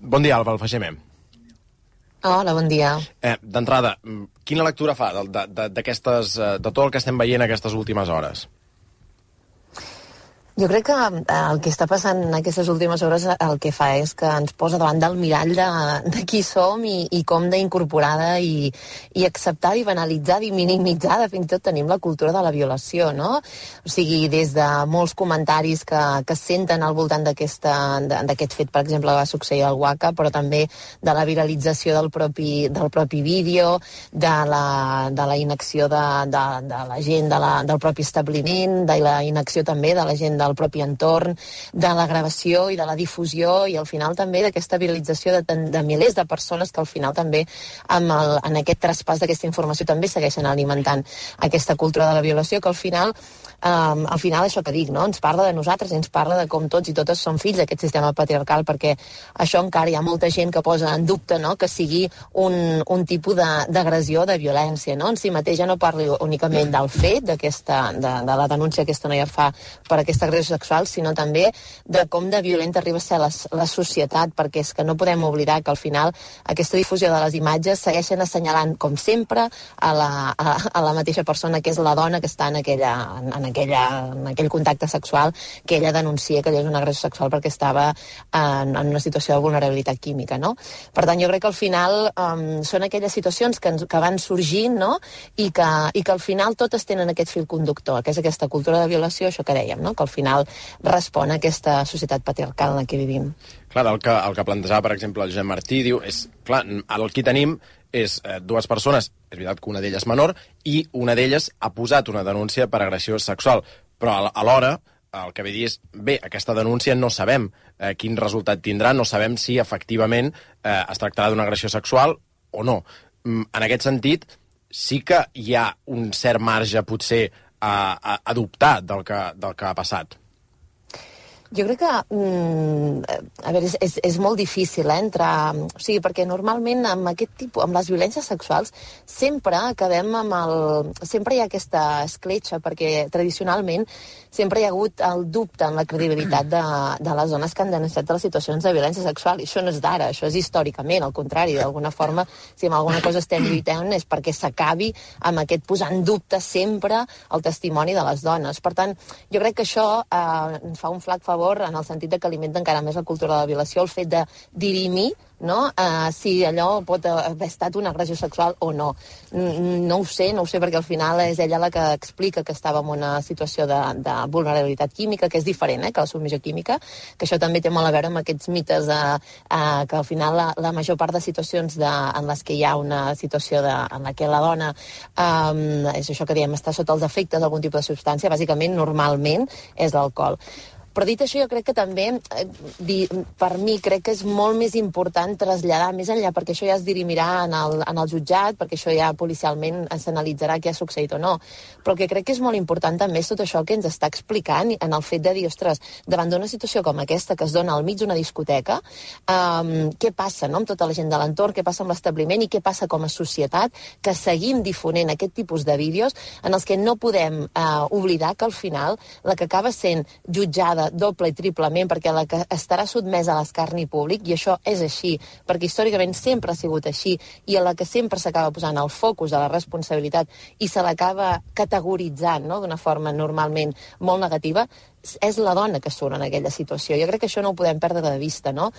Bon dia, Alba Alfageme. Hola, bon dia. D'entrada, quina lectura fa de tot el que estem veient aquestes últimes hores? Jo crec que el que està passant en aquestes últimes hores el que fa és que ens posa davant del mirall de qui som i com d'incorporada i acceptada i banalitzada i minimitzada fins i tot tenim la cultura de la violació, no? O sigui, des de molts comentaris que es senten al voltant d'aquest fet, per exemple, va succeir al Waka, però també de la viralització del propi vídeo, de la inacció de la gent del propi establiment, de la inacció també de la gent del propi entorn, de la gravació i de la difusió i al final també d'aquesta viralització de milers de persones que al final també en aquest traspàs d'aquesta informació també segueixen alimentant aquesta cultura de la violació que al final això que dic, no? Ens parla de nosaltres i ens parla de com tots i totes som fills d'aquest sistema patriarcal perquè això encara hi ha molta gent que posa en dubte, no? Que sigui un tipus d'agressió o de violència, no? En si mateix ja no parli únicament del fet de la denúncia que aquesta noia fa per aquesta agressió sexual, sinó també de com de violenta arriba a ser la societat, perquè és que no podem oblidar que al final aquesta difusió de les imatges segueixen assenyalant, com sempre, a la mateixa persona que és la dona que està en aquell contacte sexual que ella denuncia que ella és una agressió sexual perquè estava en una situació de vulnerabilitat química, no? Per tant, jo crec que al final són aquelles situacions que van sorgint, no? I que al final totes tenen aquest fil conductor, que és aquesta cultura de violació, això que dèiem, no? Que al final respon a aquesta societat patriarcal en la que vivim. Clar, el que plantejava, per exemple, el Josep Martí, diu, clar, el que tenim és dues persones, és veritat que una d'elles és menor, i una d'elles ha posat una denúncia per agressió sexual, però alhora el que ve dir és, bé, aquesta denúncia no sabem quin resultat tindrà, no sabem si efectivament es tractarà d'una agressió sexual o no. En aquest sentit, sí que hi ha un cert marge, potser, a dubtar del que ha passat. Jo crec que, a veure, és molt difícil entrar... O sigui, perquè normalment amb aquest tipus, amb les violències sexuals, sempre acabem sempre hi ha aquesta escletxa, perquè tradicionalment sempre hi ha hagut el dubte en la credibilitat de les dones que han denunciat les situacions de violència sexual. I això no és d'ara, això és històricament, al contrari, d'alguna forma, si amb alguna cosa estem lluitant és perquè s'acabi amb aquest posar en dubte sempre el testimoni de les dones. Per tant, jo crec que això ens fa un flac favor en el sentit de que alimenta encara més la cultura de la violació, el fet de dirimir, no? Si allò pot haver estat una agressió sexual o no. No ho sé, perquè al final és ella la que explica que estava en una situació de vulnerabilitat química, que és diferent que la submissió química, que això també té molt a veure amb aquests mites que al final la major part de situacions en les que hi ha una situació en la que la dona és això que diem, està sota els efectes d'algun tipus de substància, bàsicament, normalment, és l'alcohol. Però dit això, jo crec que també, per mi, crec que és molt més important traslladar més enllà, perquè això ja es dirimirà en el jutjat, perquè això ja policialment s'analitzarà què ha succeït o no. Però el que crec que és molt important també és tot això que ens està explicant en el fet de dir, ostres, davant d'una situació com aquesta que es dona al mig d'una discoteca, què passa, no?, amb tota la gent de l'entorn, què passa amb l'establiment i què passa com a societat, que seguim difonent aquest tipus de vídeos en els que no podem oblidar que al final la que acaba sent jutjada doble i triplement, perquè la que estarà sotmesa a l'escarni públic, i això és així, perquè històricament sempre ha sigut així, i a la que sempre s'acaba posant el focus de la responsabilitat i se l'acaba categoritzant, no?, d'una forma normalment molt negativa, és la dona que surt en aquella situació. Jo crec que això no ho podem perdre de vista, no?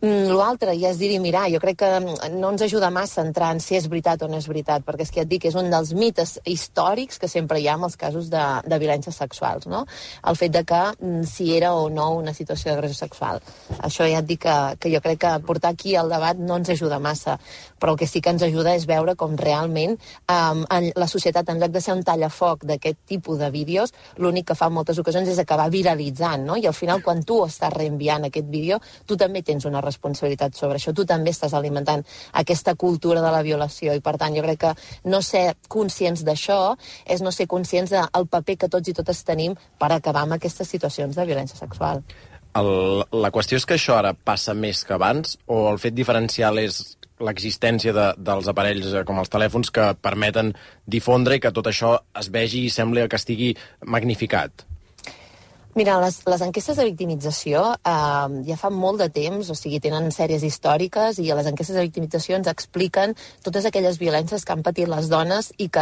L'altre ja es dirimirà. Jo crec que no ens ajuda massa a entrar en si és veritat o no és veritat, perquè és que ja et dic, és un dels mites històrics que sempre hi ha en els casos de violències sexuals, no? El fet de que si era o no una situació d'agressió sexual. Això ja et dic que jo crec que portar aquí el debat no ens ajuda massa, però el que sí que ens ajuda és veure com realment la societat, en lloc de ser un tallafoc d'aquest tipus de vídeos, l'únic que fa en moltes ocasions és acabar viralitzant, no? I al final, quan tu estàs reenviant aquest vídeo, tu també tens una responsabilitat sobre això, tu també estàs alimentant aquesta cultura de la violació i per tant jo crec que no ser conscients d'això és no ser conscients del paper que tots i totes tenim per acabar amb aquestes situacions de violència sexual. La qüestió és que això ara passa més que abans o el fet diferencial és l'existència dels aparells com els telèfons que permeten difondre i que tot això es vegi i sembli que estigui magnificat? Mira, les enquestes de victimització ja fa molt de temps, o sigui, tenen sèries històriques i a les enquestes de victimització ens expliquen totes aquelles violències que han patit les dones i que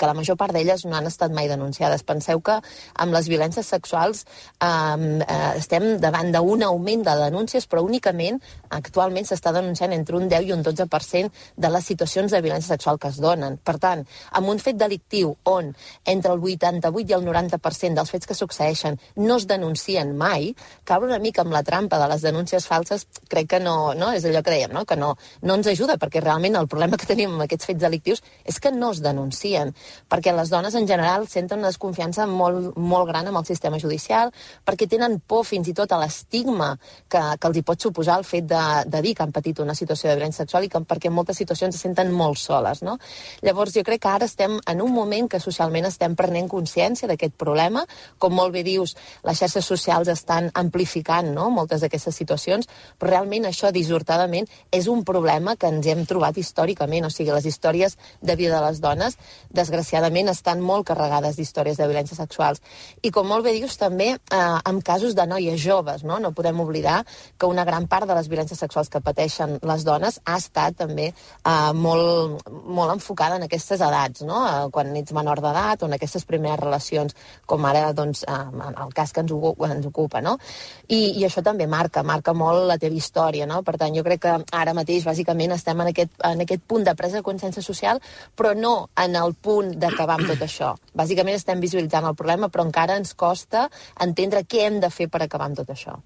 la major part d'elles no han estat mai denunciades. Penseu que amb les violències sexuals estem davant d'un augment de denúncies, però únicament actualment s'està denunciant entre un 10 i un 12% de les situacions de violència sexual que es donen. Per tant, amb un fet delictiu on entre el 88 i el 90% dels fets que succeeixen no es denuncien mai, caure una mica amb la trampa de les denúncies falses, crec que no és allò que dèiem, no? Que no ens ajuda, perquè realment el problema que tenim amb aquests fets delictius és que no es denuncien, perquè les dones en general senten una desconfiança molt, molt gran amb el sistema judicial, perquè tenen por fins i tot a l'estigma que els hi pot suposar el fet de dir que han patit una situació de violència sexual i perquè en moltes situacions se senten molt soles, no? Llavors jo crec que ara estem en un moment que socialment estem prenent consciència d'aquest problema, com molt bé dius, les xarxes socials estan amplificant, no?, moltes d'aquestes situacions, però realment això, dissortadament, és un problema que ens hem trobat històricament. O sigui, les històries de vida de les dones, desgraciadament, estan molt carregades d'històries de violències sexuals. I com molt bé dius, també en casos de noies joves, no? No podem oblidar que una gran part de les violències sexuals que pateixen les dones ha estat també molt, molt enfocada en aquestes edats, no? Quan ets menor d'edat o en aquestes primeres relacions, com ara, doncs, en el cas que ens ocupa, no? I això també marca molt la teva història, no? Per tant, jo crec que ara mateix, bàsicament, estem en aquest punt de presa de consciència social, però no en el punt d'acabar amb tot això. Bàsicament estem visualitzant el problema, però encara ens costa entendre què hem de fer per acabar amb tot això.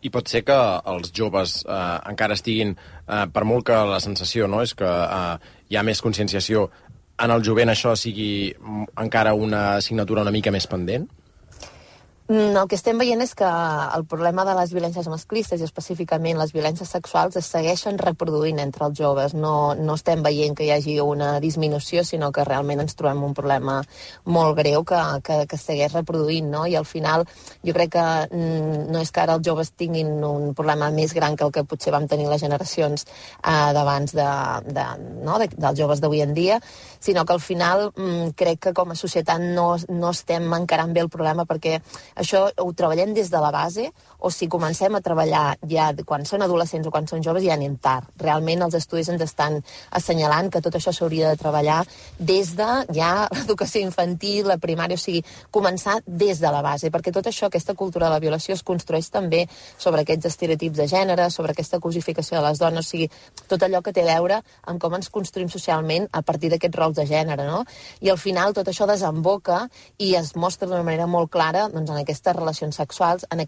I pot ser que els joves encara estiguin, per molt que la sensació, no?, és que hi ha més conscienciació, en el jovent això sigui encara una assignatura una mica més pendent? El que estem veient és que el problema de les violències masclistes i específicament les violències sexuals es segueixen reproduint entre els joves. No estem veient que hi hagi una disminució, sinó que realment ens trobem un problema molt greu que segueix reproduint, no? I al final jo crec que no és que ara els joves tinguin un problema més gran que el que potser vam tenir les generacions d'abans dels joves d'avui en dia, sinó que al final crec que com a societat no estem encarant bé el problema, perquè això ho treballem des de la base, o si comencem a treballar ja quan són adolescents o quan són joves ja anem tard. Realment els estudis ens estan assenyalant que tot això s'hauria de treballar des de ja l'educació infantil, la primària, o sigui, començar des de la base, perquè tot això, aquesta cultura de la violació es construeix també sobre aquests estereotips de gènere, sobre aquesta cosificació de les dones, o sigui, tot allò que té a veure amb com ens construïm socialment a partir d'aquests rols de gènere, no? I al final tot això desemboca i es mostra d'una manera molt clara, doncs, en aquestes relacions sexuals, en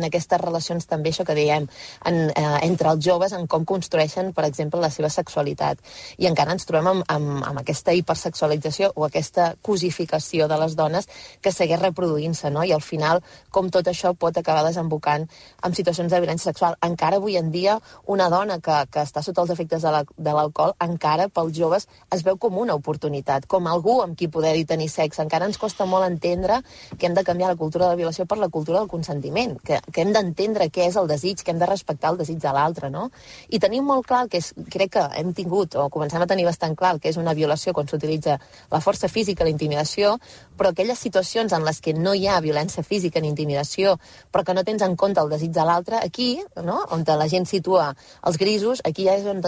aquestes relacions també, això que dèiem, entre els joves, en com construeixen, per exemple, la seva sexualitat. I encara ens trobem amb aquesta hipersexualització o aquesta cosificació de les dones que segueix reproduint-se, no? I al final, com tot això pot acabar desembocant en situacions de violència sexual. Encara avui en dia, una dona que està sota els efectes de l'alcohol, encara pels joves es veu com una oportunitat, com algú amb qui poder-hi tenir sexe. Encara ens costa molt entendre que hem de canviar la cultura de la violació per la cultura del consentiment, que hem d'entendre què és el desig, que hem de respectar el desig de l'altre, no? I tenim molt clar que crec que hem tingut, o comencem a tenir bastant clar, que és una violació quan s'utilitza la força física, la intimidació, però aquelles situacions en les que no hi ha violència física ni intimidació, però que no tens en compte el desig de l'altre, aquí, no?, on la gent situa els grisos, aquí ja és on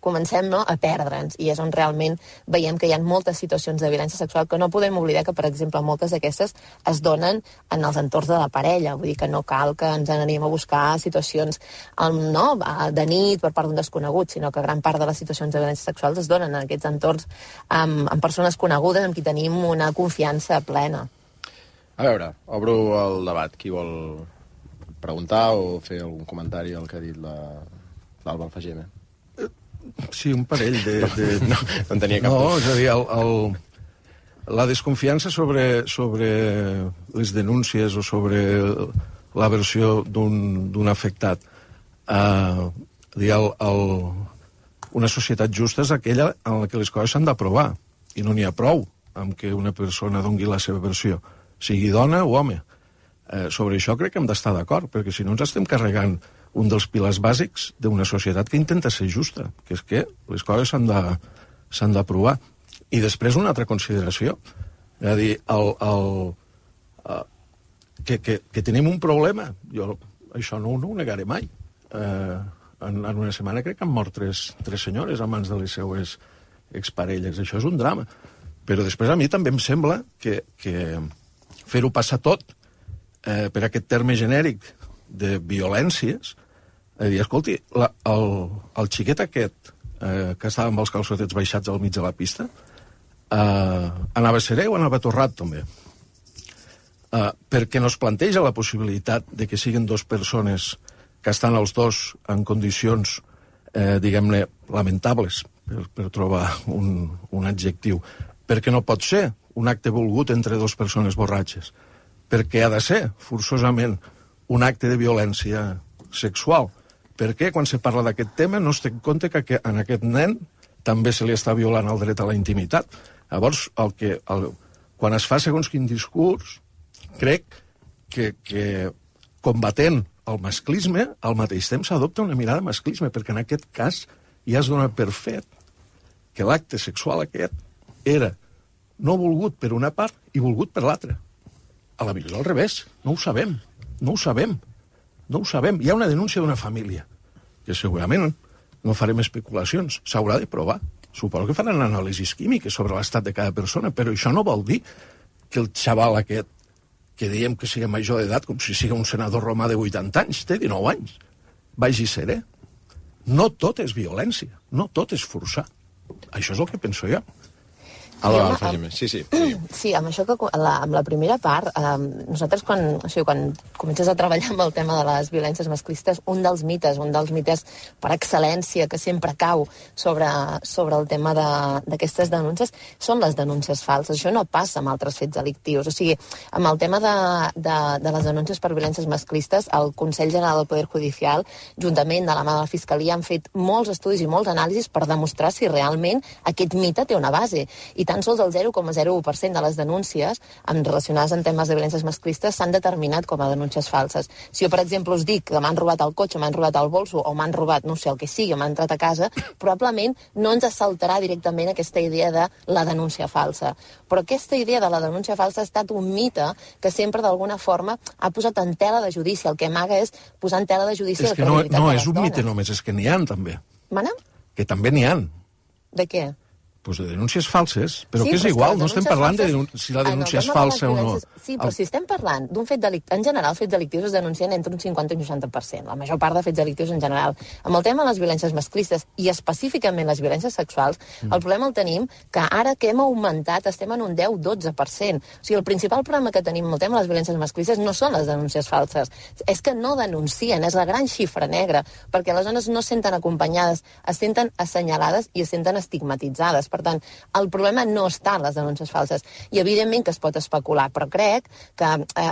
comencem, no?, a perdre'ns, i és on realment veiem que hi ha moltes situacions de violència sexual que no podem oblidar que, per exemple, moltes d'aquestes es donen en els entorns de la parella, vull dir que no cal que ens anem a buscar situacions de nit per part d'un desconegut, sinó que gran part de les situacions de violència sexuals es donen en aquests entorns amb persones conegudes amb qui tenim una confiança plena. A veure, obro el debat. Qui vol preguntar o fer algun comentari al que ha dit l'Alba Alfageme? Sí, un parell de... No en tenia cap. No, és a dir, la desconfiança sobre les denúncies o sobre la versió d'un afectat. Una societat justa és aquella en la que les coses s'han d'aprovar, i no n'hi ha prou amb que una persona doni la seva versió, sigui dona o home. Sobre això crec que hem d'estar d'acord, perquè si no ens estem carregant un dels pilars bàsics d'una societat que intenta ser justa, que és que les coses s'han d'aprovar. I després una altra consideració. És a dir, que tenim un problema. Jo això no ho negaré mai. En una setmana crec que han mort tres senyores a mans de les seues exparelles. Això és un drama. Però després a mi també em sembla que fer-ho passar tot per aquest terme genèric de violències, dir, escolti, el xiquet aquest que estava amb els calçotets baixats al mig de la pista anava serè o anava torrat també? Perquè no es planteja la possibilitat de que siguin dues persones que estan els dos en condicions, diguem-ne, lamentables, per trobar un adjectiu. Perquè no pot ser un acte volgut entre dues persones borratxes. Perquè ha de ser, forçosament, un acte de violència sexual. Perquè quan se parla d'aquest tema no es té en compte que en aquest nen també se li està violant el dret a la intimitat. Llavors, quan es fa segons quin discurs, crec que combatent el masclisme, al mateix temps s'adopta una mirada masclisme, perquè en aquest cas ja es dona per fet que l'acte sexual aquest era no volgut per una part i volgut per l'altra. A la millor al revés. No ho sabem. No ho sabem. No ho sabem. Hi ha una denúncia d'una família, que segurament no farem especulacions. S'haurà de provar. Suposo que faran anàlisis químiques sobre l'estat de cada persona, però això no vol dir que el xaval aquest, que diem que sigui major d'edat, com si sigui un senador romà de 80 anys, té 19 anys, vagi serè. No tot és violència, no tot és forçar. Això és el que penso jo. Sí. Sí, amb això amb la primera part, nosaltres quan comences a treballar amb el tema de les violències masclistes, un dels mites per excel·lència que sempre cau sobre el tema d'aquestes denúncies són les denúncies falses. Això no passa amb altres fets delictius. O sigui, amb el tema de les denúncies per violències masclistes, el Consell General del Poder Judicial, juntament de la mà de la Fiscalia, han fet molts estudis i molts anàlisis per demostrar si realment aquest mite té una base. I tan sols el 0,01% de les denúncies relacionades amb temes de violències masclistes s'han determinat com a denúncies falses. Si jo, per exemple, us dic que m'han robat el cotxe, m'han robat el bolso o m'han robat, no sé, el que sigui, m'han entrat a casa, probablement no ens assaltarà directament aquesta idea de la denúncia falsa. Però aquesta idea de la denúncia falsa ha estat un mite que sempre, d'alguna forma, ha posat en tela de judici. El que amaga és posar en tela de judici la credibilitat de les dones. No és un mite només, és que n'hi ha, també. Mana? Que també n'hi ha. De què? Pues de denúncies falses, però que és igual, no estem parlant de si la denúncia és falsa o no. Sí, però si estem parlant d'un fet delictiu, en general, els fets delictius es denuncien entre un 50 i un 60%, la major part de fets delictius en general. Amb el tema de les violències masclistes i específicament les violències sexuals, el problema el tenim que ara que hem augmentat estem en un 10-12%. O sigui, el principal problema que tenim amb el tema de les violències masclistes no són les denúncies falses, és que no denuncien, és la gran xifra negra, perquè les dones no es senten acompanyades, es senten assenyalades i es senten estigmatitzades. Per tant, el problema no està en les denúncies falses. I evidentment que es pot especular, però crec que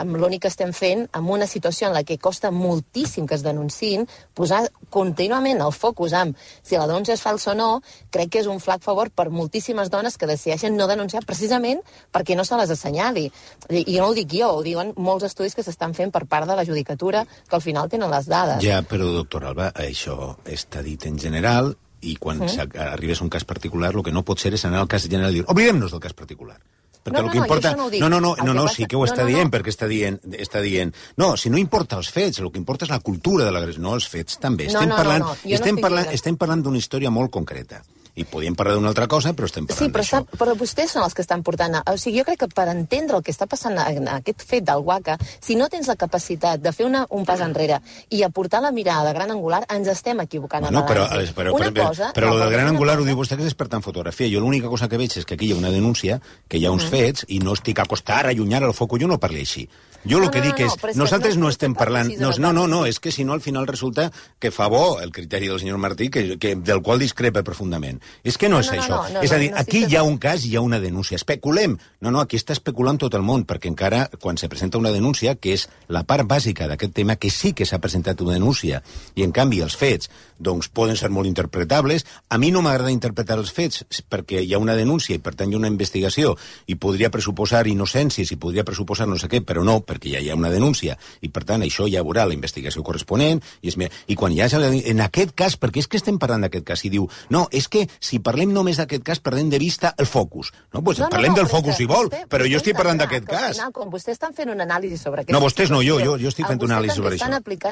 l'únic que estem fent, en una situació en la que costa moltíssim que es denunciïn, posar contínuament el focus en si la denúncia és falsa o no, crec que és un flac favor per moltíssimes dones que decideixen no denunciar precisament perquè no se les assenyali. I no ho dic jo, ho diuen molts estudis que s'estan fent per part de la judicatura, que al final tenen les dades. Ja, però, doctor Alba, això està dit en general, i quan arribes a un cas particular, el que no pot ser és anar al cas general i dir, oblidem-nos del cas particular. Perquè el que importa... No, sí que ho està dient, perquè està dient... No, si no importa els fets, el que importa és la cultura de l'agressió, no els fets, també. Estem parlant d'una història molt concreta. I podíem parlar d'una altra cosa, però estem parlant d'això. Sí, però vostès són els que estan portant... O sigui, jo crec que per entendre el que està passant en aquest fet del Waka, si no tens la capacitat de fer un pas enrere i aportar la mirada gran angular, ens estem equivocant. Bueno, però el del gran angular ho diu vostè que és experta en fotografia. Jo l'única cosa que veig és que aquí hi ha una denúncia, que hi ha uns fets, i no estic a acostar, a allunyar el foc, jo no parli així. Jo el que dic és, nosaltres no estem parlant... No, és que si no al final resulta que fa bo el criteri del senyor Martí, del qual discrepa profundament. És que no és això. És a dir, aquí hi ha un cas, hi ha una denúncia. Especulem. No, aquí està especulant tot el món, perquè encara quan se presenta una denúncia, que és la part bàsica d'aquest tema, que sí que s'ha presentat una denúncia, i en canvi els fets doncs poden ser molt interpretables. A mi no m'agrada interpretar els fets, perquè hi ha una denúncia i per tant hi ha una investigació, i podria pressuposar innocències i podria pressuposar no sé què, però no, perquè ja hi ha una denúncia, i per tant això ja veurà la investigació corresponent, i quan hi hagi... En aquest cas, perquè és que estem parlant d'aquest cas, i diu, no, és que si parlem només d'aquest cas, perdem de vista el focus. No, doncs parlem del focus si vol, però jo estic parlant d'aquest cas. Com vostès estan fent una anàlisi sobre aquest... No, vostès no, jo estic fent una anàlisi sobre això.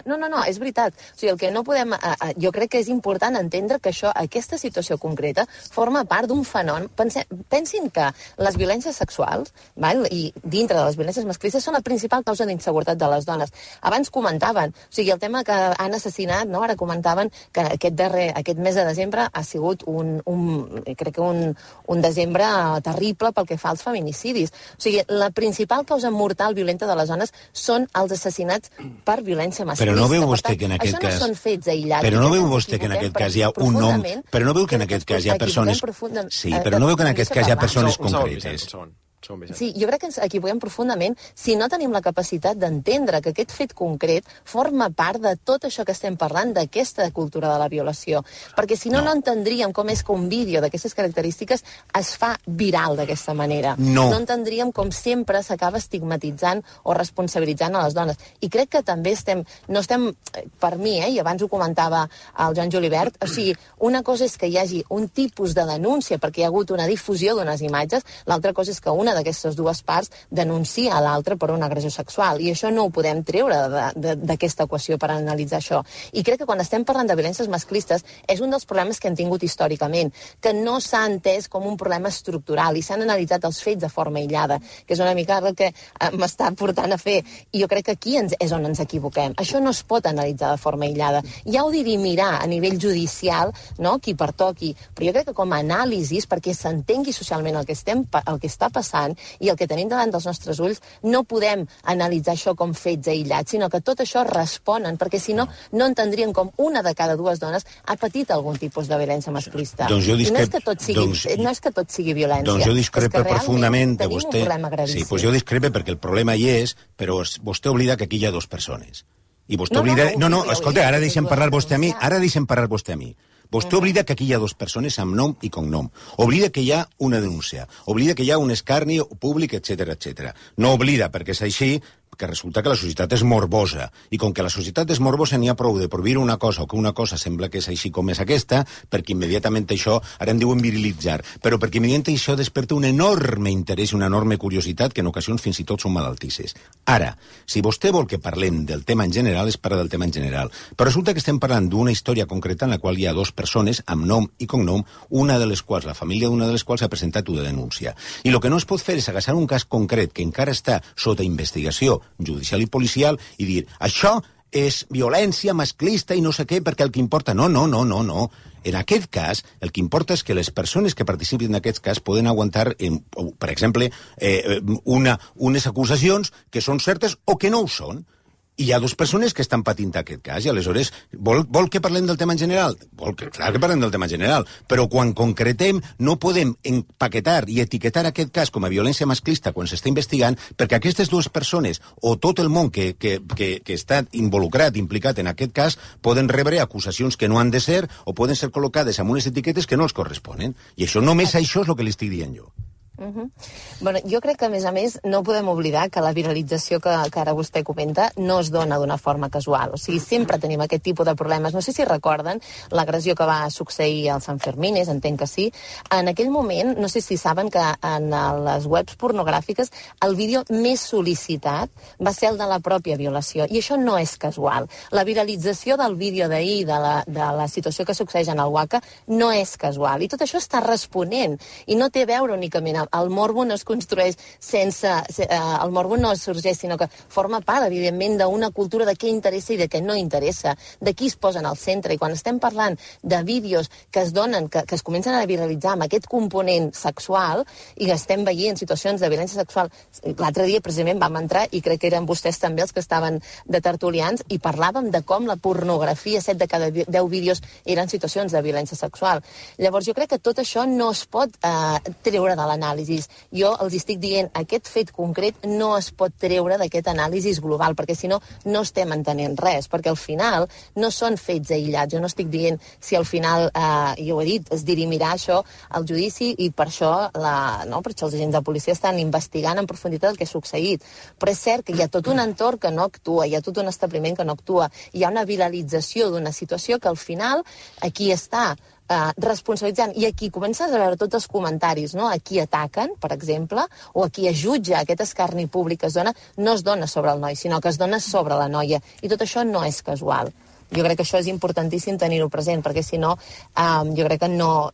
No, és veritat. O sigui, el que no podem... Jo crec que és important entendre que aquesta situació concreta forma part d'un fenomen. Pensin que les violències sexuals, i dintre de les violències masclistes, són la principal causa d'inseguretat de les dones. Abans comentaven, o sigui, el tema que han assassinat, no? Ara comentaven que aquest mes de desembre ha sigut crec que un desembre terrible pel que fa als feminicidis. O sigui, la principal causa mortal violenta de les dones són els assassinats per violència masclista. Però no veu vostè que en aquest cas... Això no són fets aïllats. Però no veu vostè que en aquest cas hi ha un nom... Però no veu que en aquest cas hi ha persones... Sí, però no veu que en aquest cas hi ha persones concretes. Sí, jo crec que ens equivoquem profundament si no tenim la capacitat d'entendre que aquest fet concret forma part de tot això que estem parlant, d'aquesta cultura de la violació. Perquè si no entendríem com és que un vídeo d'aquestes característiques es fa viral d'aquesta manera. No entendríem com sempre s'acaba estigmatitzant o responsabilitzant a les dones. I crec que també no estem, per mi, i abans ho comentava el Joan Julibert, o sigui, una cosa és que hi hagi un tipus de denúncia perquè hi ha hagut una difusió d'unes imatges, l'altra cosa és que una d'aquestes dues parts denuncia a l'altra per una agressió sexual, i això no ho podem treure d'aquesta equació per analitzar això. I crec que quan estem parlant de violències masclistes és un dels problemes que hem tingut històricament, que no s'ha entès com un problema estructural i s'han analitzat els fets de forma aïllada, que és una mica el que m'està portant a fer. I jo crec que aquí és on ens equivoquem. Això no es pot analitzar de forma aïllada. Ja ho dirimirar a nivell judicial, no? Qui pertoqui, però jo crec que com a anàlisis, perquè s'entengui socialment el que està passant i el que tenim davant dels nostres ulls, no podem analitzar això com fets aïllats, sinó que tot això responen, perquè si no, no entendríem com una de cada dues dones ha patit algun tipus de violència masclista. Doncs jo discrep... no és que tot sigui violència. Doncs jo discrepo profundament de vostè. Tenim un problema gravíssim. Sí, doncs jo discrepo perquè el problema hi és, però vostè oblida que aquí hi ha dues persones. I vostè oblida... No, escolta, ara deixem parlar vostè a mi. Vostè oblida que aquí hi ha dues persones amb nom i cognom. Oblida que hi ha una denúncia. Oblida que hi ha un escarni públic, etc. No oblida, perquè és així, que resulta que la societat és morbosa. I com que la societat és morbosa, n'hi ha prou de prohibir una cosa o que una cosa sembla que és així com és aquesta, perquè immediatament això, ara en diuen virilitzar, però perquè immediatament això desperta un enorme interès i una enorme curiositat que en ocasions fins i tot són malaltisses. Ara, si vostè vol que parlem del tema en general, es parla del tema en general. Però resulta que estem parlant d'una història concreta en la qual hi ha dues persones amb nom i cognom, una de les quals, la família d'una de les quals ha presentat una denúncia. I el que no es pot fer és agafar un cas concret que encara està sota investigació judicial i policial i dir, això és violència masclista i no sé què, perquè el que importa... No. En aquest cas, el que importa és que les persones que participen en aquest cas poden aguantar, per exemple, unes acusacions que són certes o que no ho són. I hi ha dues persones que estan patint aquest cas, i aleshores, vol que parlem del tema en general? Clar que parlem del tema en general, però quan concretem no podem empaquetar i etiquetar aquest cas com a violència masclista quan s'està investigant, perquè aquestes dues persones, o tot el món que està involucrat, implicat en aquest cas, poden rebre acusacions que no han de ser, o poden ser col·locades amb unes etiquetes que no els corresponen. I això, només això és el que li estic dient jo. Bueno, jo crec que, a més, no podem oblidar que la viralització que ara vostè comenta no es dona d'una forma casual. O sigui, sempre tenim aquest tipus de problemes. No sé si recorden l'agressió que va succeir als Sanfermines, entenc que sí. En aquell moment, no sé si saben que en les webs pornogràfiques el vídeo més sol·licitat va ser el de la pròpia violació. I això no és casual. La viralització del vídeo d'ahir, de la situació que succeeix en el Waka, no és casual. I tot això està responent. I no té a veure únicament el morbo no es construeix el morbo no sorgeix, sinó que forma part, evidentment, d'una cultura de què interessa i de què no interessa, de qui es posen al centre. I quan estem parlant de vídeos que es donen, que es comencen a viralitzar amb aquest component sexual, i estem veient situacions de violència sexual, l'altre dia precisament vam entrar, i crec que eren vostès també els que estaven de tertulians, i parlàvem de com la pornografia, 7 de cada 10 vídeos eren situacions de violència sexual. Llavors jo crec que tot això no es pot treure de l'anàlisi. anàlisis. Jo els estic dient, aquest fet concret no es pot treure d'aquest anàlisis global, perquè si no, no estem entenent res, perquè al final no són fets aïllats. Jo no estic dient si al final, jo ho he dit, es dirimirà això al judici i per això, per això els agents de policia estan investigant en profunditat el que ha succeït. Però és cert que hi ha tot un entorn que no actua, hi ha tot un establiment que no actua, hi ha una viralització d'una situació que al final aquí està responsabilitzant, i aquí comences a veure tots els comentaris, no? A qui ataquen, per exemple, o a qui es jutja aquest escarni públic que es dona, no es dona sobre el noi, sinó que es dona sobre la noia, i tot això no és casual. Jo crec que això és importantíssim tenir-ho present, perquè si no, jo crec que no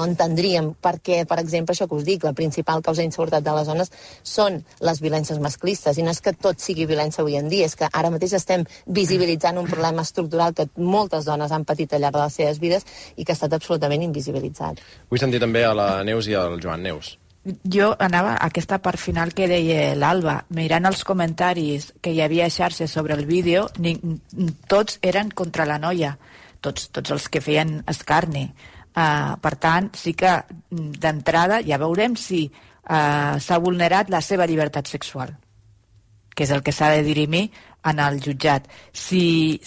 entendríem per què, per exemple, això que us dic, la principal causa d'inseguretat de les dones són les violències masclistes, i no és que tot sigui violència avui en dia, és que ara mateix estem visibilitzant un problema estructural que moltes dones han patit al llarg de les seves vides i que ha estat absolutament invisibilitzat. Vull sentir també a la Neus i al Joan. Neus. Jo anava a aquesta part final que deia l'Alba. Mirant els comentaris que hi havia a xarxes sobre el vídeo, tots eren contra la noia, tots els que feien escarni. Per tant, sí que d'entrada ja veurem si s'ha vulnerat la seva llibertat sexual, que és el que s'ha de dirimir en el jutjat. Si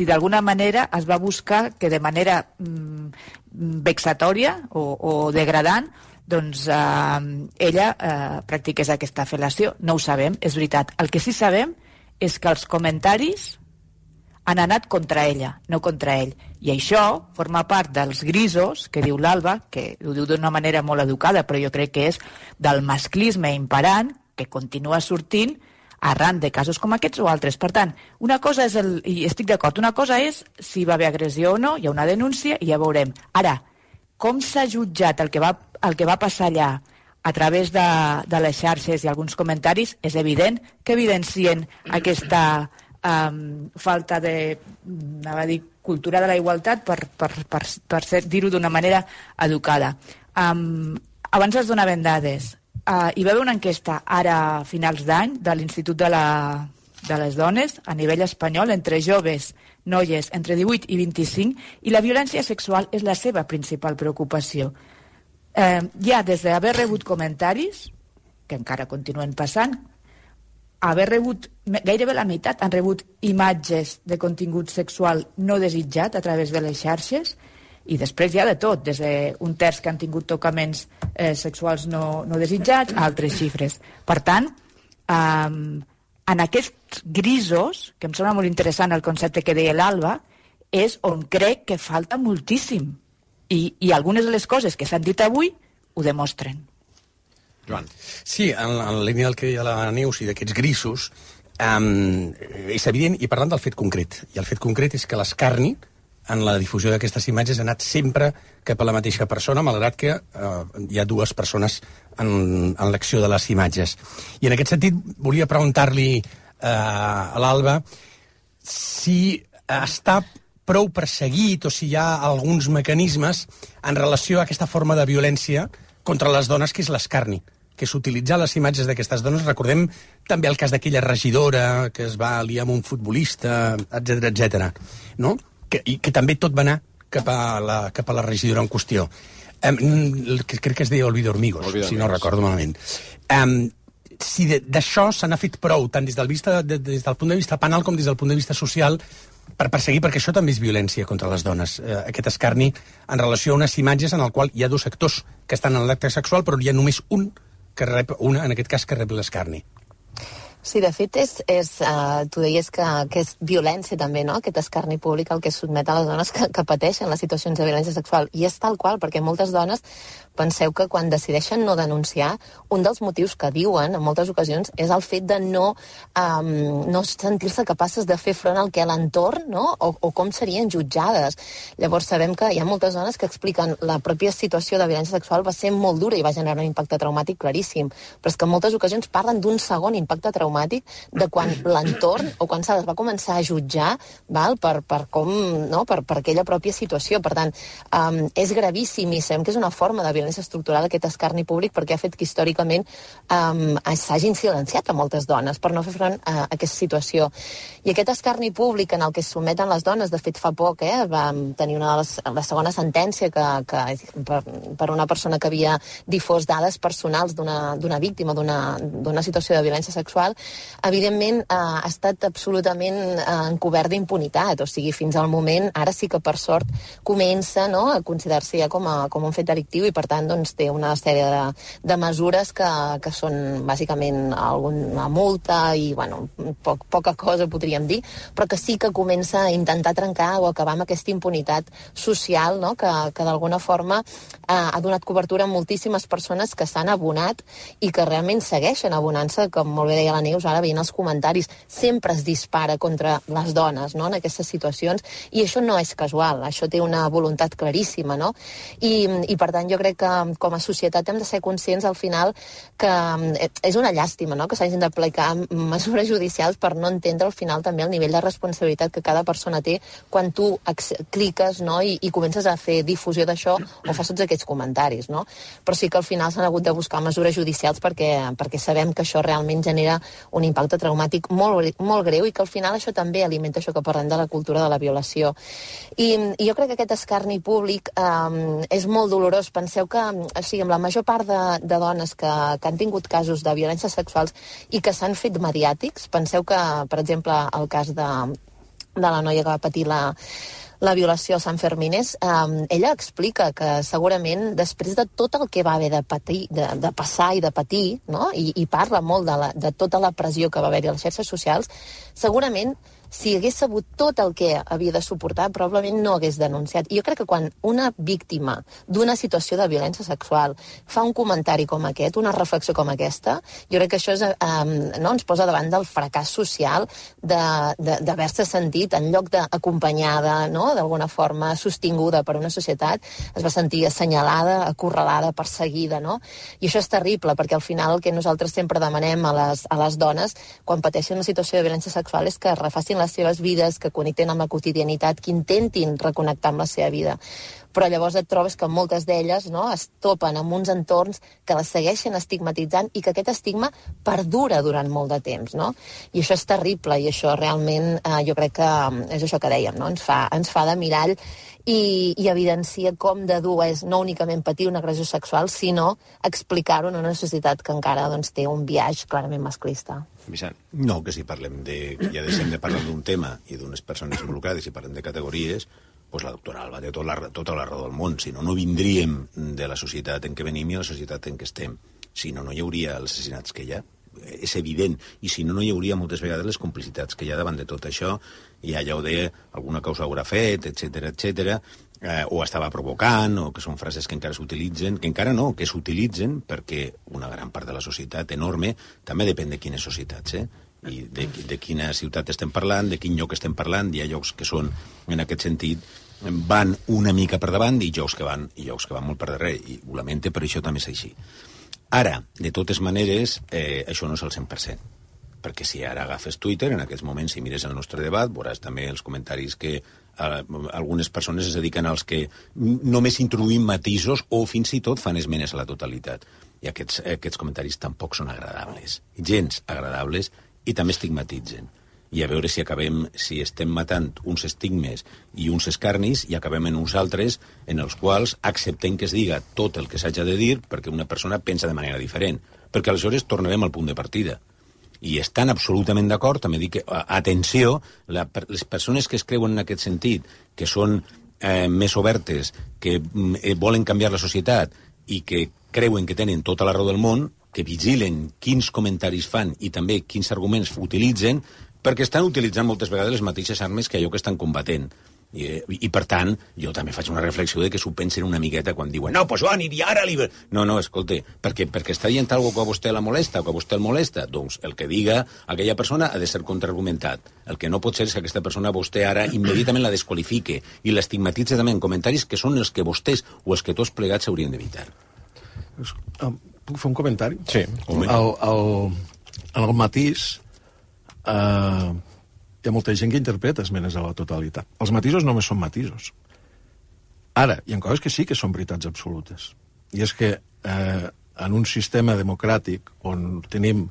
d'alguna manera es va buscar que de manera vexatòria o degradant doncs ella practiqués aquesta fel·lació. No ho sabem, és veritat. El que sí sabem és que els comentaris han anat contra ella, no contra ell. I això forma part dels grisos que diu l'Alba, que ho diu d'una manera molt educada, però jo crec que és del masclisme imperant que continua sortint arran de casos com aquests o altres. Per tant, una cosa és i estic d'acord, una cosa és si va haver agressió o no, hi ha una denúncia i ja veurem. Ara, com s'ha jutjat el que va passar allà a través de les xarxes i alguns comentaris, és evident que evidencien aquesta falta de, cultura de la igualtat per dir-ho d'una manera educada. Abans es donaven dades. Hi va haver una enquesta ara a finals d'any de l'Institut de les Dones a nivell espanyol entre joves, noies entre 18 i 25, i la violència sexual és la seva principal preocupació. Ja des d'haver rebut comentaris, que encara continuen passant, haver rebut, gairebé la meitat han rebut imatges de contingut sexual no desitjat a través de les xarxes, i després hi ha de tot, des d'un terç que han tingut tocaments sexuals no desitjats a altres xifres. Per tant, en aquests grisos, que em sembla molt interessant el concepte que deia l'Alba, és on crec que falta moltíssim. I algunes de les coses que s'han dit avui ho demostren. Joan. Sí, en la línia del que deia la Neus i d'aquests grisos, és evident, i parlant del fet concret. I el fet concret és que l'escarni en la difusió d'aquestes imatges ha anat sempre cap a la mateixa persona, malgrat que hi ha dues persones en l'acció de les imatges. I en aquest sentit volia preguntar-li a l'Alba si està prou perseguit o si hi ha alguns mecanismes en relació a aquesta forma de violència contra les dones, que és l'escarni, que és utilitzar les imatges d'aquestes dones. Recordem també el cas d'aquella regidora que es va liar amb un futbolista, etc., no? I que també tot va anar cap a la regidora en qüestió. Crec que es deia Olvido Hormigos, si no recordo malament. Si d'això se n'ha fet prou, tant des del punt de vista penal com des del punt de vista social, per perseguir, perquè això també és violència contra les dones, aquest escarni en relació a unes imatges en el qual hi ha dos actors que estan en l'acte sexual, però hi ha només un que rep, en aquest cas, que rep l'escarni. Sí, de fet, tu deies que és violència també, no?, aquest escarni públic al que es sotmet a les dones que pateixen les situacions de violència sexual. I és tal qual, perquè moltes dones, penseu que quan decideixen no denunciar, un dels motius que diuen en moltes ocasions és el fet de no sentir-se capaces de fer front al que a l'entorn, no?, o com serien jutjades. Llavors sabem que hi ha moltes dones que expliquen la pròpia situació de violència sexual va ser molt dura i va generar un impacte traumàtic claríssim, però és que en moltes ocasions parlen d'un segon impacte traumàtic traumàtic de quan l'entorn o quan se les va començar a jutjar, val? Per com, no? per aquella pròpia situació. Per tant, és gravíssim i sabem que és una forma de violència estructural aquest escarni públic perquè ha fet que històricament s'hagin silenciat a moltes dones per no fer front a aquesta situació. I aquest escarni públic en el que es sotmeten les dones, de fet fa poc, vam tenir la segona sentència per una persona que havia difós dades personals d'una víctima d'una situació de violència sexual, evidentment ha estat absolutament encobert d'impunitat. O sigui, fins al moment, ara sí que per sort comença, no?, a considerar-se ja com un fet delictiu i per tant doncs, té una sèrie de mesures que són bàsicament alguna multa i bueno, poca cosa podríem dir, però que sí que comença a intentar trencar o acabar amb aquesta impunitat social, no?, que d'alguna forma ha donat cobertura a moltíssimes persones que s'han abonat i que realment segueixen abonant-se, com molt bé deia la Neus, ara veient els comentaris, sempre es dispara contra les dones, no?, en aquestes situacions, i això no és casual, això té una voluntat claríssima, no? I per tant jo crec que com a societat hem de ser conscients al final que és una llàstima, no?, que s'hagin d'aplicar mesures judicials per no entendre al final també el nivell de responsabilitat que cada persona té quan tu cliques, no?, i comences a fer difusió d'això o fas tots aquests comentaris, no? Però sí que al final s'han hagut de buscar mesures judicials perquè sabem que això realment genera un impacte traumàtic molt greu i que al final això també alimenta això que parlem de la cultura de la violació. I jo crec que aquest escarni públic és molt dolorós. Penseu que, o sigui, amb la major part de dones que han tingut casos de violències sexuals i que s'han fet mediàtics, penseu que, per exemple, el cas de la noia que va patir la violació a Sant Fermines, ella explica que segurament després de tot el que va haver de patir, de passar i de patir, no?, i parla molt de tota la pressió que va haver-hi a les xarxes socials, segurament si hagués sabut tot el que havia de suportar, probablement no hagués denunciat. I jo crec que quan una víctima d'una situació de violència sexual fa un comentari com aquest, una reflexió com aquesta, jo crec que això ens posa davant del fracàs social d'haver-se sentit, en lloc d'acompanyada, no?, d'alguna forma sostinguda per una societat, es va sentir assenyalada, acorralada, perseguida, no? I això és terrible, perquè al final el que nosaltres sempre demanem a les dones quan pateixen una situació de violència sexual és que refacin les seves vides, que connecten amb la quotidianitat, que intentin reconnectar amb la seva vida. Però llavors et trobes que moltes d'elles, no?, es topen amb uns entorns que les segueixen estigmatitzant i que aquest estigma perdura durant molt de temps, no? I això és terrible i això realment jo crec que és això que dèiem, no?, ens fa de mirall i evidencia com de dur és no únicament patir una agressió sexual, sinó explicar-ho en una societat que encara doncs, té un biaix clarament masclista. Vicent. No, que si parlem ja deixem de parlar d'un tema i d'unes persones involucrades, si parlem de categories, doncs la doctora Alba té tota la raó del món. Si no, no vindríem de la societat en què venim i la societat en què estem. Si no, no hi hauria els assassinats que hi ha. És evident. I si no, no hi hauria moltes vegades les complicitats que hi ha davant de tot això. I allà ho deia, alguna cosa haurà fet, etc, o estava provocant, o que són frases que encara s'utilitzen, que encara no, que s'utilitzen perquè una gran part de la societat enorme també depèn de quines societats, i de quina ciutat estem parlant, de quin lloc estem parlant. Hi ha llocs que són, en aquest sentit, van una mica per davant i llocs que van molt per darrere, i ho lamente, però això també és així. Ara, de totes maneres, això no és el 100%, perquè si ara agafes Twitter, en aquests moments, si mires el nostre debat, veuràs també els comentaris que algunes persones es dediquen als que només introduïm matisos o fins i tot fan esmenes a la totalitat. I aquests comentaris tampoc són agradables, gens agradables, i també estigmatitzen. I a veure si estem matant uns estigmes i uns escarnis i acabem en uns altres en els quals acceptem que es diga tot el que s'haja de dir perquè una persona pensa de manera diferent. Perquè aleshores tornarem al punt de partida. I estan absolutament d'acord, també dic que, atenció, les persones que es creuen en aquest sentit, que són més obertes, que volen canviar la societat i que creuen que tenen tota la raó del món, que vigilen quins comentaris fan i també quins arguments utilitzen, perquè estan utilitzant moltes vegades les mateixes armes que allò que estan combatent. I per tant, jo també faig una reflexió de que s'ho pensen una miqueta quan diuen no, pues jo aniria ara libre. No, escolta, perquè està dient alguna cosa que a vostè la molesta o que a vostè el molesta, doncs el que diga aquella persona ha de ser contraargumentat. El que no pot ser és que aquesta persona vostè ara immediatament la desqualifique i l'estigmatitza també en comentaris que són els que vostès o els que tots plegats haurien d'evitar. Puc fer un comentari? Sí. El matís hi ha molta gent que interpreta esmenes a la totalitat. Els matisos només són matisos. Ara, hi ha coses que sí que són veritats absolutes. I és que en un sistema democràtic on tenim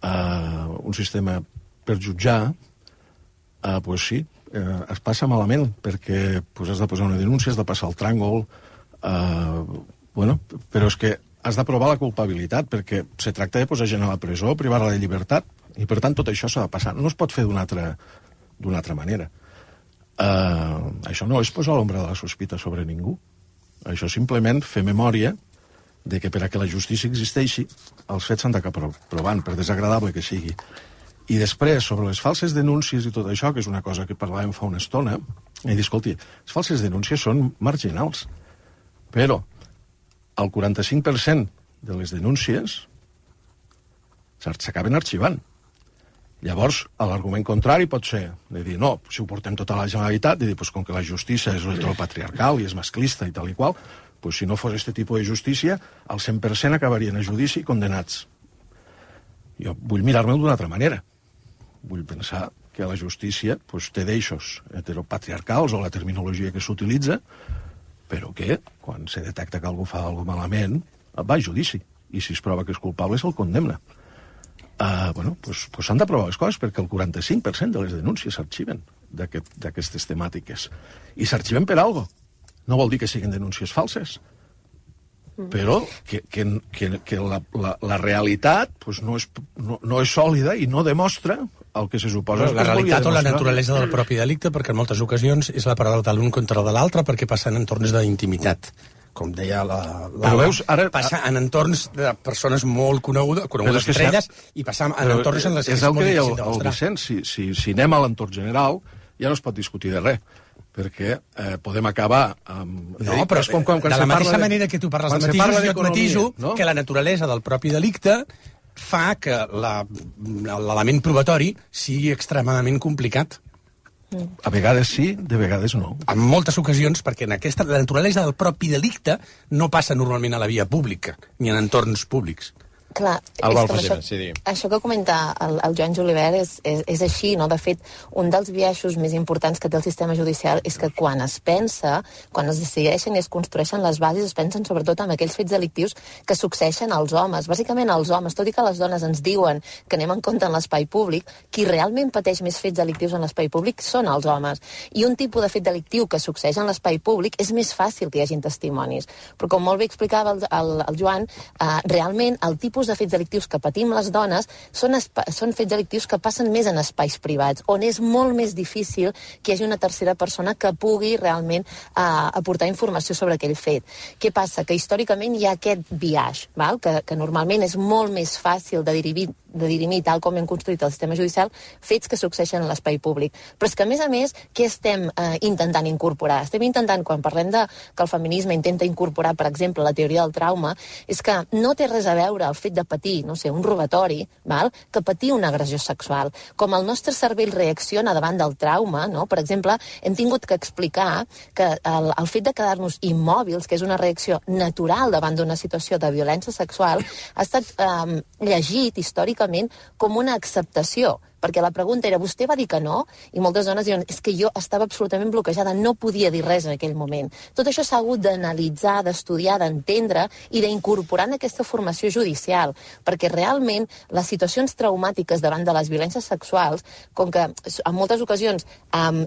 un sistema per jutjar, pues sí, es passa malament, perquè pues, has de posar una denúncia, has de passar el tràngol, però és que has de provar la culpabilitat, perquè se tracta de posar gent a la presó, privar-la de llibertat, i per tant tot això s'ha de passar. No es pot fer d'una altra manera. Això no és posar l'ombra de la sospita sobre ningú. Això simplement fer memòria de que per a que la justícia existeixi, els fets s'han d'acabar provant, per desagradable que sigui. I després, sobre les falses denúncies i tot això, que és una cosa que parlàvem fa una estona, he dit, escolti, les falses denúncies són marginals, però el 45% de les denúncies s'acaben arxivant. Llavors, l'argument contrari pot ser de dir, no, si ho portem tota la Generalitat, de dir, pues, com que la justícia és heteropatriarcal i és masclista i tal i qual, pues, si no fos aquest tipus de justícia, el 100% acabarien a judici i condenats. Jo vull mirar-me'l d'una altra manera. Vull pensar que la justícia pues, té d'eixos heteropatriarcals o la terminologia que s'utilitza, però que, quan se detecta que algú fa alguna malament, va a judici. I si es prova que és culpable, se'l condemna. Pues s'han de provar les coses, perquè el 45% de les denúncies s'arxiven d'aquestes temàtiques. I s'arxiven per alguna cosa. No vol dir que siguin denúncies falses, però que la realitat pues, no és sòlida i no demostra el que se suposa... La realitat o la naturalesa del propi delicte, perquè en moltes ocasions és la paraula de l'un contra de l'altre, perquè passa en entorns d'intimitat. Com deia passa en entorns de persones molt conegudes estrelles, i passa en entorns en les que és molt difícil de mostrar. Vicent, si anem a l'entorn general, ja no es pot discutir de res, perquè podem acabar amb... No, però de la mateixa manera que tu parles de matisos, jo et matiso que la naturalesa del propi delicte fa que l'element probatori sigui extremadament complicat. A vegades sí, de vegades no. En moltes ocasions, perquè la naturalesa del propi delicte no passa normalment a la via pública, ni en entorns públics. Clar, això que comenta el Joan Julivert és així, no? De fet, un dels biaixos més importants que té el sistema judicial és que quan es pensa, quan es decideixen i es construeixen les bases, es pensen sobretot en aquells fets delictius que succeeixen als homes, bàsicament als homes, tot i que les dones ens diuen que anem en compte en l'espai públic, qui realment pateix més fets delictius en l'espai públic són els homes. I un tipus de fet delictiu que succeeix en l'espai públic és més fàcil que hi hagin testimonis. Però com molt bé explicava el Joan, realment el tipus de fets delictius que patim les dones són fets delictius que passen més en espais privats, on és molt més difícil que hi hagi una tercera persona que pugui realment aportar informació sobre aquell fet. Què passa? Que històricament hi ha aquest biaix, val? Que normalment és molt més fàcil de dirimir, tal com hem construït el sistema judicial, fets que succeeixen en l'espai públic. Però és que, a més, què estem intentant incorporar? Estem intentant, quan parlem que el feminisme intenta incorporar, per exemple, la teoria del trauma, és que no té res a veure el fet de patir, no sé, un robatori, val? Que patir una agressió sexual. Com el nostre cervell reacciona davant del trauma, no? Per exemple, hem tingut que explicar que el fet de quedar-nos immòbils, que és una reacció natural davant d'una situació de violència sexual, ha estat llegit històricament com una acceptació, perquè la pregunta era, vostè va dir que no? I moltes dones diuen, és que jo estava absolutament bloquejada, no podia dir res en aquell moment. Tot això s'ha hagut d'analitzar, d'estudiar, d'entendre i d'incorporar en aquesta formació judicial, perquè realment les situacions traumàtiques davant de les violències sexuals, com que en moltes ocasions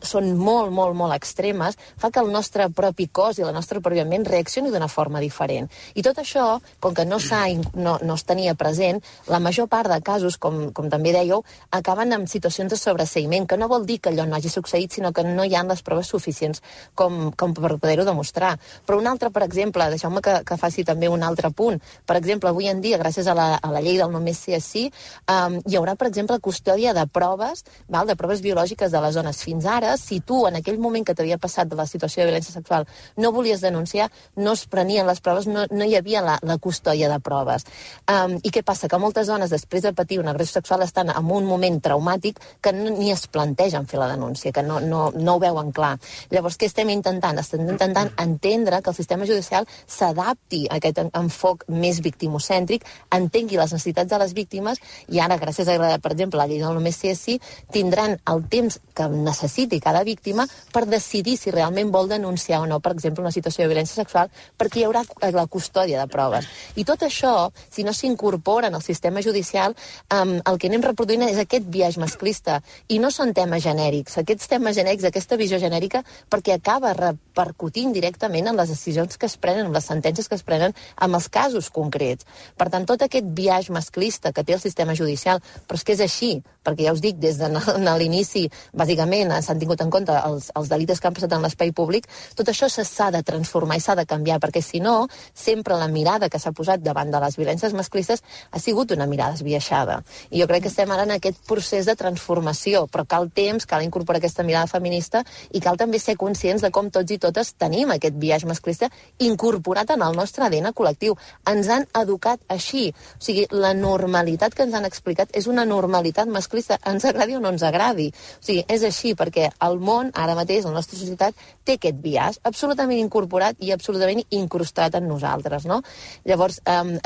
són molt, molt, molt extremes, fa que el nostre propi cos i la nostra pròpia ment reaccioni d'una forma diferent. I tot això, com que no es tenia present, la major part de casos, com també dèieu, acaben amb situacions de sobreseïment, que no vol dir que allò no hagi succeït, sinó que no hi ha les proves suficients com per poder-ho demostrar. Però un altre, per exemple, deixeu-me que faci també un altre punt. Per exemple, avui en dia, gràcies a la llei del només sí és sí, hi haurà, per exemple, custòdia de proves, de proves biològiques de les dones. Fins ara, si tu, en aquell moment que t'havia passat de la situació de violència sexual, no volies denunciar, no es prenien les proves, no hi havia la custòdia de proves. I què passa? Que moltes dones, després de patir una agressió sexual, estan en un moment traumàtic que ni es plantegen fer la denúncia, que no ho veuen clar. Llavors, què estem intentant? Estem intentant entendre que el sistema judicial s'adapti a aquest enfoc més victimocèntric, entengui les necessitats de les víctimes i ara, gràcies a, per exemple, la llei del només sí és sí, tindran el temps que necessiti cada víctima per decidir si realment vol denunciar o no, per exemple, una situació de violència sexual, perquè hi haurà la custòdia de proves. I tot això, si no s'incorpora en el sistema judicial, el que anem reproduint és aquest biaix masclista. I no són temes genèrics. Aquests temes genèrics, aquesta visió genèrica, perquè acaba repercutint directament en les decisions que es prenen, en les sentències que es prenen, en els casos concrets. Per tant, tot aquest biaix masclista que té el sistema judicial, però és que és així, perquè ja us dic, des de l'inici, bàsicament, s'han tingut en compte els delictes que han passat en l'espai públic, tot això s'ha de transformar i s'ha de canviar, perquè si no, sempre la mirada que s'ha posat davant de les violències masclistes ha sigut una mirada esbiaixada. I jo crec que estem ara en aquest procés de transformació, però cal temps, cal incorporar aquesta mirada feminista i cal també ser conscients de com tots i totes tenim aquest biaix masclista incorporat en el nostre ADN col·lectiu. Ens han educat així. O sigui, la normalitat que ens han explicat és una normalitat masclista, ens agradi o no ens agradi. O sigui, és així, perquè el món, ara mateix, la nostra societat, té aquest biaix absolutament incorporat i absolutament incrustat en nosaltres, no? Llavors,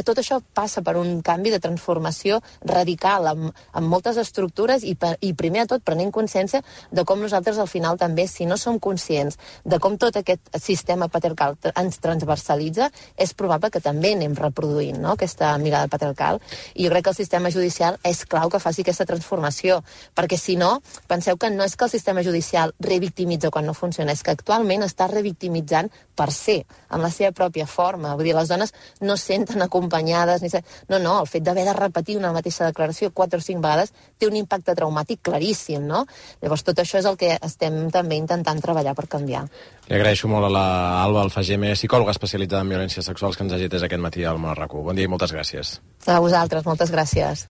tot això passa per un canvi de transformació radical en moltes estructures i primer de tot prenent consciència de com nosaltres al final també, si no som conscients de com tot aquest sistema patriarcal ens transversalitza, és probable que també anem reproduint, no?, aquesta mirada patriarcal. I jo crec que el sistema judicial és clau que faci aquesta transformació, perquè si no, penseu que no és que el sistema judicial revictimitza quan no funciona, és que actualment està revictimitzant per ser, en la seva pròpia forma. Vull dir, les dones no es senten acompanyades, no, el fet d'haver de repetir una mateixa declaració 4 o 5 vegades té un impacte traumàtic claríssim, no? Llavors, tot això és el que estem també intentant treballar per canviar. Li agraeixo molt a l'Alba Alfageme, psicòloga especialitzada en violències sexuals, que ens hagi atès aquest matí al Món a RAC1. Bon dia i moltes gràcies. A vosaltres, moltes gràcies.